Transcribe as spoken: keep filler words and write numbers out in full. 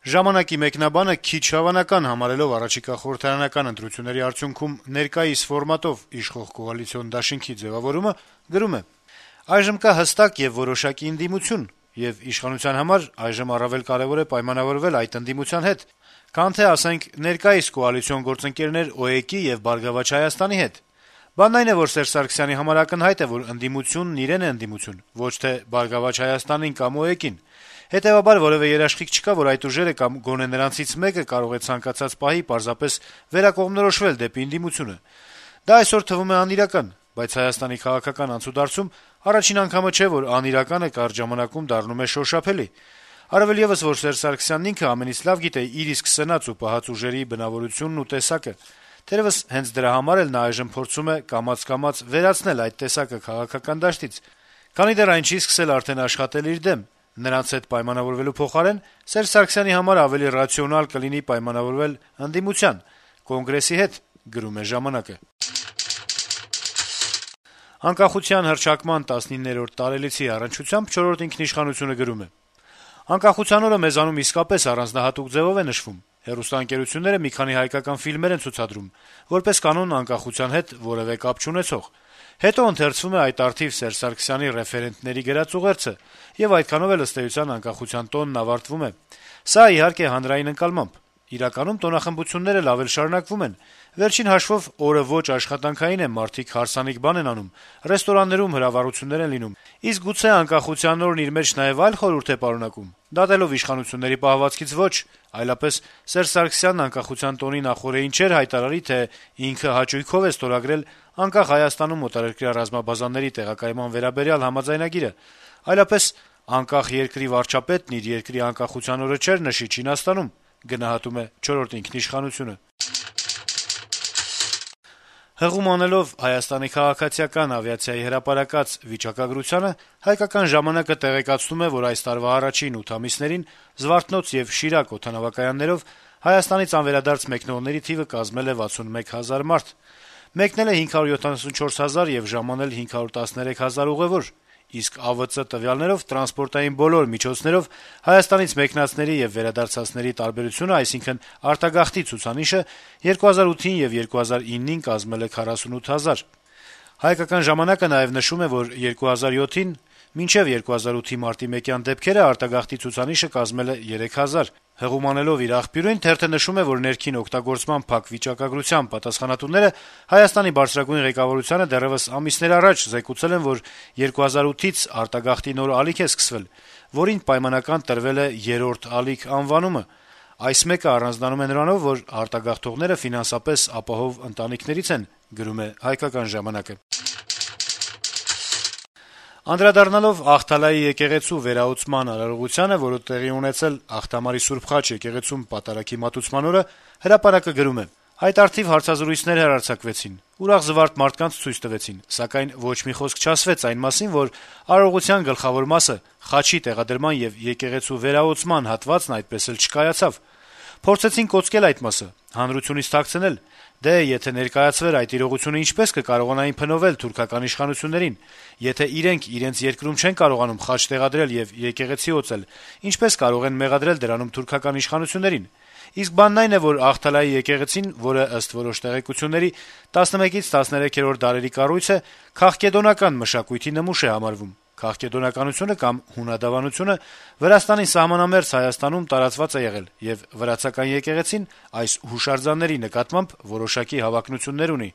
Ժամանակի մեկնաբանը քիչ հավանական համարելով առաջիկա խորհրդարանական ընտրությունների արդյունքում ներկայիս ֆորմատով իշխող կոալիցիոն դաշինքի ձեւավորումը գրում է. - «Այժմ կա հստակ եւ որոշակի ընդդիմություն, եւ իշխանության համար այժմ առավել կարեւոր է պայմանավորվել այդ ընդդիմության հետ, քան թե, ասենք, ներկայիս կոալիցիոն գործընկերներ ՕԵԿ-ի եւ «Բարգավաճ Հայաստանի» հետ: Բանն այն է, որ Սերժ Սարգսյանի համար ակնհայտ է, որ ընդդիմությունն իրեն է ընդդիմություն, ոչ թե «Բարգավաճ Հայաստանին» կամ ՕԵԿ-ին: Հետեւաբար որեւէ երաշխիք չկա, որ այդ ուժերը կամ գոնե նրանցից մեկը կարող է ցանկացած պահի պարզապես վերակողմնորոշվել դեպի ընդդիմությունը: Դա այսօր թվում է անիրական, բայց Հայաստանի քաղաքական անցուդարձում առաջին անգամը չէ, որ անիրականը կարճ ժամանակում դառնում է շոշափելի: Առավել եւս, որ Սերժ Սարգսյանն ինքը ամենից լավ գիտե իր իսկ սնած ու պահած ուժերի բնավորությունն ու տեսակը: Թերեւս հենց դրա համար էլ նա այժմ փորձում է կամաց-կամաց վերացնել այդ տեսակը քաղաքական դաշտից, քանի դեռ այն չի սկսել արդեն աշխատել իր դեմ: Նրանց հետ պայմանավորվելու փոխարեն Սերժ Սարգսյանի համար ավելի ռացիոնալ կլինի պայմանավորվել ընդդիմության, Կոնգրեսի հետ»: Անկախության հռչակման տասնիններորդ տարելիցի առնչությամբ «Չորրորդ ինքնիշխանություն»-ը գրում է. - «Անկախության օրը մեզանում իսկապես առանձնահատուկ ձեւով է նշվում: Հեռուստաընկերությունները մի քանի հայկական ֆիլմեր են ցուցադրում, որպես կանոն անկախության հետ որեւէ կապ չունեցող: Հետո ընթերցվում է այդ առթիվ Սերժ Սարգսյանի ռեֆերենտների գրած ուղերձը, եւ այդքանով էլ, ըստ էության, անկախության տոնն ավարտվում է: Սա, իհարկե, հանրային ընկալմամբ: Իրականում տոնախմբությունները լավ էլ շարունակվում են: Վերջին հաշվով, օրը ոչ աշխատանքային է, մարդիկ հարսանիք բան են անում, ռեստորաններում հրավառություններ են լինում: Իսկ գուցե անկախության օրն իր մեջ նաեւ այլ խորհուրդ է պարունակում: Դատելով իշխանությունների պահվածքից ոչ, այլապես Սերժ Սարգսյանն անկախության տոնի նախօրեին չէր հայտարարի, թե ինքը հաճույքով է ստորագրել «Անկախ Հայաստանում» օտարերկրյա ռազմաբազաների տեղակայման վերաբերյալ համաձայնագիրը, այլապես անկախ երկրի վարչապետն իր երկրի անկախության օրը չէր նշի Չինաստանում»: Հղում անելով Հայաստանի քաղաքացիական ավիացիայի հրապարակած վիճակագրությանը, «Հայկական ժամանակ»-ը տեղեկացնում է, որ այս տարվա առաջին ութ ամիսներին «Զվարթնոց» եւ «Շիրակ» օդանավակայաններով Հայաստանից անվերադարձ մեկնողների թիվը կազմել է վաթսունմեկ հազար մարդ: Մեկնել է հինգ հարյուր յոթանասունչորս հազար եւ ժամանել հինգ հարյուր տասներեք հազար ուղեւոր, իսկ ԱՎԾ տվյալներով տրանսպորտային բոլոր միջոցներով Հայաստանից մեկնածների եւ վերադարձածների տարբերությունը, այսինքն` արտագաղթի ցուցանիշը երկու հազար ութին եւ երկու հազար իննին կազմել է քառասունութ հազար: «Հայկական ժամանակ»-ը նաեւ նշում է, որ երկու հազար յոթին մինչեւ երկու հազար ութի մարտի մեկյան դեպքերը արտագաղթի ցուցանիշը կազմել է երեք հազար: Հղում անելով իր աղբյուրին` թերթը նշում է, որ ներքին օգտագործման փակ վիճակագրության պատասխանատուները Հայաստանի բարձրագույն ղեկավարությանը դեռեւս ամիսներ առաջ զեկուցել են, որ երկու հազար ութից արտագաղթի նոր ալիք է սկսվել, որին պայմանական տրվել է «երրորդ ալիք» անվանումը: Այս մեկը առանձնանում է նրանով, որ արտագաղթողները ֆինանսապես ապահով ընտանիքներից են: Անդրադառնալով Ախթալայի եկեղեցու վերահսկման արարողությանը, որը տեղի է ունեցել Ախթամարի Սուրբ Խաչ եկեղեցում պատարագի մատուցման օրը, «Հրապարակ»-ը գրում է. - «Այդ առթիվ հարցազրույցներ հեռարձակվեցին, ուրախ զվարթ մարդկանց ցույց տվեցին, սակայն ոչ մի խոսք չասվեց այն մասին, որ արարողության գլխավոր մասը` խաչի տեղադրման եւ եկեղեցու վերահսկման հատվածն այդպես էլ չկայացավ: Փորձեցին կոծկել այդ մասը, հանրությունից թաքցնել: Դե, եթե ներկայացվեր այդ իրողությունը, ինչպե՞ս կկարողանային փնովել թուրքական իշխանություններին: Եթե իրենք իրենց երկրում չեն կարողանում խաչ տեղադրել եւ եկեղեցի օծել, ինչպե՞ս կարող են մեղադրել դրանում թուրքական իշխանություններին: Իսկ բանն այն է, որ Ախթալայի եկեղեցին, որը, ըստ որոշ տեղեկությունների, տասնմեկից տասներեքերորդ դարերի կառույց է, քաղկեդոնական մշակույթի նմուշ է համարվում: Քաղկեդոնականությունը կամ հունադավանությունը Վրաստանի սահմանամերձ Հայաստանում տարածված է եղել, եւ վրացական եկեղեցին այս հուշարձանների նկատմամբ որոշակի հավակնություններ ունի»: